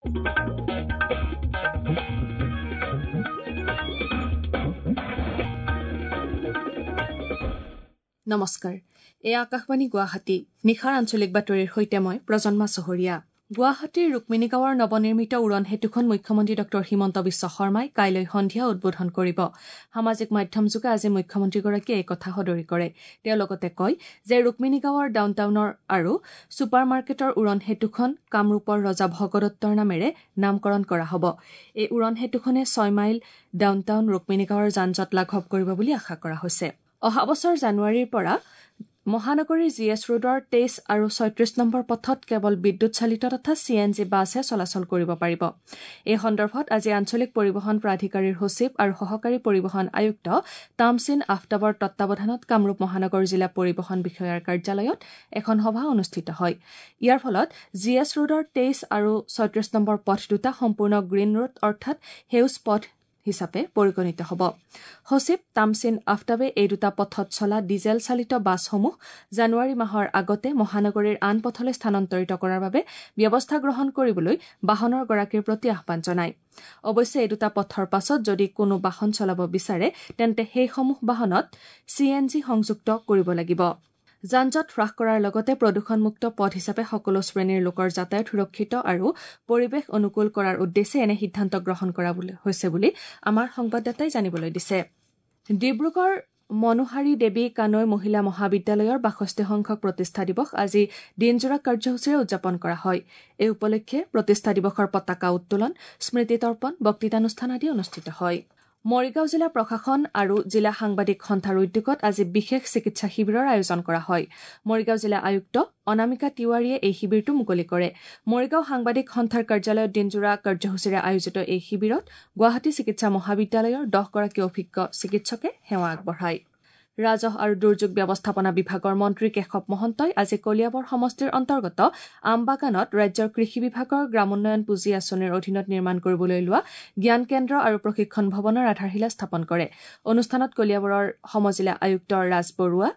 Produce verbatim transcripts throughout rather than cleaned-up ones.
নমস্কাৰ, এয়া আকাশবাণী গুৱাহাটী। নিশাৰ আঞ্চলিক বাতৰিৰ সৈতে মই প্ৰজন্মা চহৰীয়া। গুৱাহাটীৰ ৰুক্মিণীগাঁৱৰ নৱনিৰ্মিত উৰণ সেতুখন মুখ্যমন্ত্ৰী ডঃ হিমন্ত বিশ্ব শৰ্মাই কাইলৈ সন্ধিয়া উদ্বোধন কৰিব। সামাজিক মাধ্যমযোগে আজি মুখ্যমন্ত্ৰীগৰাকীয়ে এই কথা সদৰি কৰে। তেওঁ লগতে কয় যে ৰুক্মিণীগাঁৱৰ ডাউনটাউনৰ আৰু ছুপাৰ মাৰ্কেটৰ উৰণ সেতুখন কামৰূপৰ ৰজা ভগদত্তৰ নামেৰে নামকৰণ কৰা হ'ব। এই উৰণ সেতুখনে ছয় মাইল ডাউনটাউন ৰুক্মিণীগাঁৱৰ যান জঁট লাঘৱ কৰিব বুলি আশা কৰা হৈছে। অহা বছৰ জানুৱাৰীৰ পৰা মহানগৰীৰ জি এছ ৰোডৰ তেইছ আৰু ছয়ত্ৰিশ নম্বৰ পথত কেৱল বিদ্যুৎ চালিত তথা চি এন জি বাছহে চলাচল কৰিব পাৰিব। এই সন্দৰ্ভত আজি আঞ্চলিক পৰিবহণ প্ৰাধিকাৰীৰ সচিব আৰু সহকাৰী পৰিবহণ আয়ুক্ত তামছিন আফতাবৰ তত্বাৱধানত কামৰূপ মহানগৰ জিলা পৰিবহণ বিষয়াৰ কাৰ্যালয়ত এখন সভা অনুষ্ঠিত হয়। ইয়াৰ ফলত জি এছ ৰোডৰ তেইছ আৰু ছয়ত্ৰিশ নম্বৰ পথ দুটা সম্পূৰ্ণ গ্ৰীণ ৰোড অৰ্থাৎ সেউজ পথ হিচাপে পৰিগণিত হ'ব। সচিব তামছিন আফতাবে এই দুটা পথত চলা ডিজেল চালিত বাছসমূহ জানুৱাৰী মাহৰ আগতে মহানগৰীৰ আন পথলৈ স্থানান্তৰিত কৰাৰ বাবে ব্যৱস্থা গ্ৰহণ কৰিবলৈ বাহনৰ গৰাকীৰ প্ৰতি আহ্বান জনায়। অৱশ্যে এই দুটা পথৰ পাছত যদি কোনো বাহন চলাব বিচাৰে তেন্তে সেইসমূহ বাহনত চি এন জি সংযুক্ত কৰিব লাগিব। যান জঁট হ্ৰাস কৰাৰ লগতে প্ৰদূষণমুক্ত পথ হিচাপে সকলো শ্ৰেণীৰ লোকৰ যাতায়াত সুৰক্ষিত আৰু পৰিৱেশ অনুকূল কৰাৰ উদ্দেশ্যে এনে সিদ্ধান্ত গ্ৰহণ কৰা হৈছে বুলি আমাৰ সংবাদদাতাই জানিবলৈ দিছে। ডিব্ৰুগড় মনোহাৰী দেৱী কানৈ মহিলা মহাবিদ্যালয়ৰ বাষষ্ঠি সংখ্যক প্ৰতিষ্ঠা দিৱস আজি দিনজোৰা কাৰ্যসূচীৰে উদযাপন কৰা হয়। এই উপলক্ষে প্ৰতিষ্ঠা দিৱসৰ পতাকা উত্তোলন, স্মৃতি তৰ্পণ, বক্তৃতানুষ্ঠান আদি অনুষ্ঠিত হয়। মৰিগাঁও জিলা প্ৰশাসন আৰু জিলা সাংবাদিক সন্থাৰ উদ্যোগত আজি বিশেষ চিকিৎসা শিবিৰৰ আয়োজন কৰা হয়। মৰিগাঁও জিলা আয়ুক্ত অনামিকা তিৱাৰীয়ে এই শিবিৰটো মুকলি কৰে। মৰিগাঁও সাংবাদিক সন্থাৰ কাৰ্যালয়ত দিনজোৰা কাৰ্যসূচীৰে আয়োজিত এই শিবিৰত গুৱাহাটী চিকিৎসা মহাবিদ্যালয়ৰ দহগৰাকী অভিজ্ঞ চিকিৎসকে সেৱা আগবঢ়ায়। ৰাজহ আৰু দুৰ্যোগ ব্যৱস্থাপনা বিভাগৰ মন্ত্ৰী কেশৱ মহন্তই আজি কলিয়াবৰ সমষ্টিৰ অন্তৰ্গত আমবাগানত ৰাজ্যৰ কৃষি বিভাগৰ গ্ৰামোন্নয়ন পুঁজি আঁচনিৰ অধীনত নিৰ্মাণ কৰিবলৈ লোৱা জ্ঞান কেন্দ্ৰ আৰু প্ৰশিক্ষণ ভৱনৰ আধাৰশিলা স্থাপন কৰে। অনুষ্ঠানত কলিয়াবৰৰ সমজিলা আয়ুক্ত ৰাজ বৰুৱা,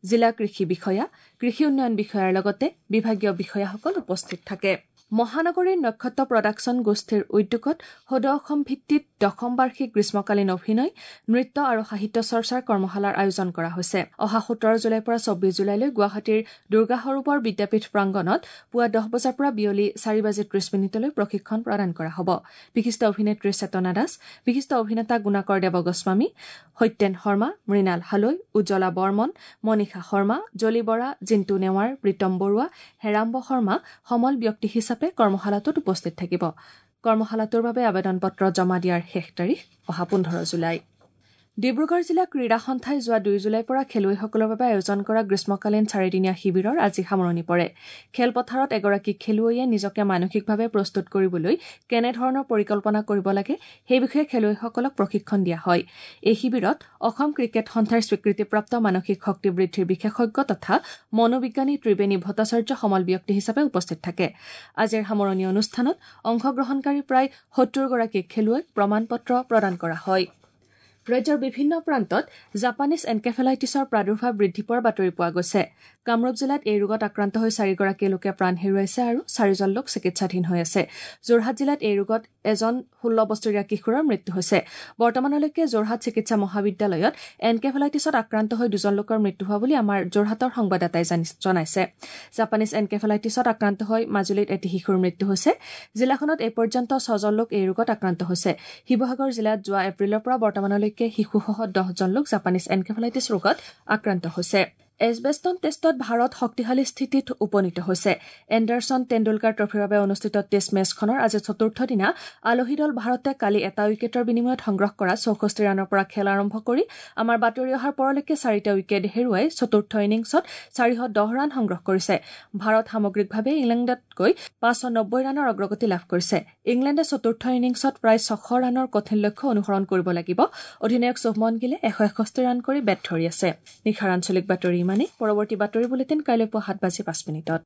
জিলা কৃষি বিষয়া, কৃষি উন্নয়ন বিষয়াৰ লগতে বিভাগীয় বিষয়াসকল উপস্থিত থাকে। মহানগৰীৰ নক্ষত্ৰ প্ৰডাকশ্যন গোষ্ঠীৰ উদ্যোগত সদৌ অসম ভিত্তিত দশম বাৰ্ষিক গ্ৰীষ্মকালীন অভিনয়, নৃত্য আৰু সাহিত্য চৰ্চাৰ কৰ্মশালাৰ আয়োজন কৰা হৈছে। অহা সোতৰ জুলাইৰ পৰা চৌব্বিছ জুলাইলৈ গুৱাহাটীৰ দুৰ্গা সৰোবৰ বিদ্যাপীঠ প্ৰাংগণত পুৱা দহ বজাৰ পৰা বিয়লি চাৰি বাজি ত্ৰিশ মিনিটলৈ প্ৰশিক্ষণ প্ৰদান কৰা হ'ব। বিশিষ্ট অভিনেত্ৰী চেতনা দাস, বিশিষ্ট অভিনেতা গুণাকৰ দেৱ গোস্বামী, সত্যেন শৰ্মা, মৃণাল হালৈ, উজ্জ্বলা বৰ্মন, মনীষা শৰ্মা, জলি বৰা, জিন্তু নেৱাৰ, প্ৰীতম বৰুৱা, হেৰাম্ব শৰ্মা সমল ব্যক্তি হিচাপে কৰ্মশালাটোত উপস্থিত থাকিব। কৰ্মশালাটোৰ বাবে আবেদন পত্ৰ জমা দিয়াৰ শেষ তাৰিখ অহা পোন্ধৰ জুলাই। ডিব্ৰুগড় জিলা ক্ৰীড়া সন্থাই যোৱা দুই জুলাইৰ পৰা খেলুৱৈসকলৰ বাবে আয়োজন কৰা গ্ৰীষ্মকালীন চাৰিদিনীয়া শিবিৰৰ আজি সামৰণি পৰে। খেলপথাৰত এগৰাকী খেলুৱৈয়ে নিজকে মানসিকভাৱে প্ৰস্তুত কৰিবলৈ কেনেধৰণৰ পৰিকল্পনা কৰিব লাগে সেই বিষয়ে খেলুৱৈসকলক প্ৰশিক্ষণ দিয়া হয়। এই শিবিৰত অসম ক্ৰিকেট সন্থাৰ স্বীকৃতিপ্ৰাপ্ত মানসিক শক্তি বৃদ্ধিৰ বিশেষজ্ঞ তথা মনোবিজ্ঞানী ত্ৰিবেণী ভট্টাচাৰ্য সমল ব্যক্তি হিচাপে উপস্থিত থাকে। আজিৰ সামৰণি অনুষ্ঠানত অংশগ্ৰহণকাৰী প্ৰায় সত্তৰগৰাকী খেলুৱৈক প্ৰমাণ পত্ৰ প্ৰদান কৰা হয়। ৰাজ্যৰ বিভিন্ন প্ৰান্তত জাপানীজ এনকেফেলাইটিছৰ প্ৰাদুৰ্ভাৱ বৃদ্ধি পোৱাৰ বাতৰি পোৱা গৈছে। কামৰূপ জিলাত এই ৰোগত আক্ৰান্ত হৈ চাৰিগৰাকী লোকে প্ৰাণ হেৰুৱাইছে আৰু চাৰিজন লোক চিকিৎসাধীন হৈ আছে। যোৰহাট জিলাত এই ৰোগত এজন ষোল্ল বছৰীয়া কিশোৰৰ মৃত্যু হৈছে। বৰ্তমানলৈকে যোৰহাট চিকিৎসা মহাবিদ্যালয়ত এনকেফেলাইটিছত আক্ৰান্ত হৈ দুজন লোকৰ মৃত্যু হোৱা বুলি আমাৰ যোৰহাটৰ সংবাদদাতাই জনাইছে। জাপানীজ এনকেফেলাইটিছত আক্ৰান্ত হৈ মাজুলীত এটি শিশুৰ মৃত্যু হৈছে। জিলাখনত এই পৰ্যন্ত ছজন লোক এই ৰোগত আক্ৰান্ত হৈছে। শিৱসাগৰ জিলাত যোৱা এপ্ৰিলৰ পৰা বৰ্তমানলৈকে শিশুসহ দহজন লোক জাপানীজ এনকেফেলাইটিছ ৰোগত আক্ৰান্ত হৈছে। এছবেষ্টন টেষ্টত ভাৰত শক্তিশালী স্থিতিত উপনীত হৈছে। এণ্ডাৰছন টেণ্ডুলকাৰ ট্ৰফীৰ বাবে অনুষ্ঠিত টেষ্ট মেচখনৰ আজি চতুৰ্থ দিনা আলহী দল ভাৰতে কালি এটা উইকেটৰ বিনিময়ত সংগ্ৰহ কৰা চৌষষ্ঠি ৰানৰ পৰা খেল আৰম্ভ কৰি আমাৰ বাতৰি অহাৰ পৰলৈকে চাৰিটা উইকেট হেৰুৱাই চতুৰ্থ ইনিংছত চাৰিশ দহ ৰান সংগ্ৰহ কৰিছে। ভাৰত সামগ্ৰিকভাৱে ইংলেণ্ডতকৈ পাঁচশ নব্বৈ ৰানৰ অগ্ৰগতি লাভ কৰিছে। ইংলেণ্ডে চতুৰ্থ ইনিংছত প্ৰায় ছশ ৰানৰ কঠিন লক্ষ্য অনুসৰণ কৰিব লাগিব। অধিনায়ক শুভমন গিলে এশ এষষ্ঠি ৰান কৰি বেট ধৰি আছে। নিশাৰ আঞ্চলিক বাতৰি ইমানেই। পৰৱৰ্তী বাতৰি বুলেটিন কাইলৈ পুৱা সাত বাজি পাঁচ মিনিটত।